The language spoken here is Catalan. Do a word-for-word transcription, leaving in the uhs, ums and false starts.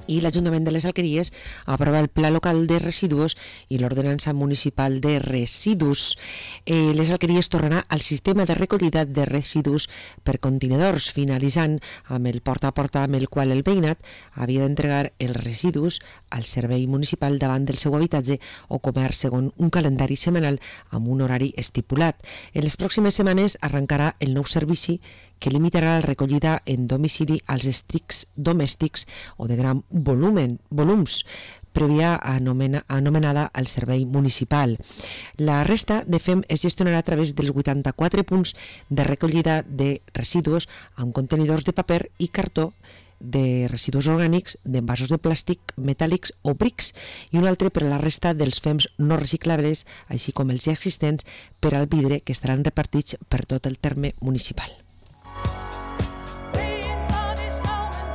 i l'Ajuntament de les Alqueries aprova el Pla Local de Residus i l'Ordenança Municipal de Residus. Eh, les Alqueries tornarà al sistema de recollida de residus per contenidors, finalitzant amb el porta a porta amb el qual el veïnat havia d'entregar els residus al servei municipal davant del seu habitatge o comerç segons un calendari setmanal amb un horari estipulat. En les pròximes setmanes arrencarà el nou servici que limitarà la recollida en domicili als estrics domèstics o de gran volumen, volums, prèvia anomena, anomenada al servei municipal. La resta de F E M es gestionarà a través dels vuitanta-quatre punts de recollida de residus amb contenidors de paper i cartó, de residus orgànics, d'envasos de plàstic, metàl·lics o brics, i un altre per a la resta dels F E Ms no reciclables, així com els ja existents per al vidre, que estaran repartits per tot el terme municipal.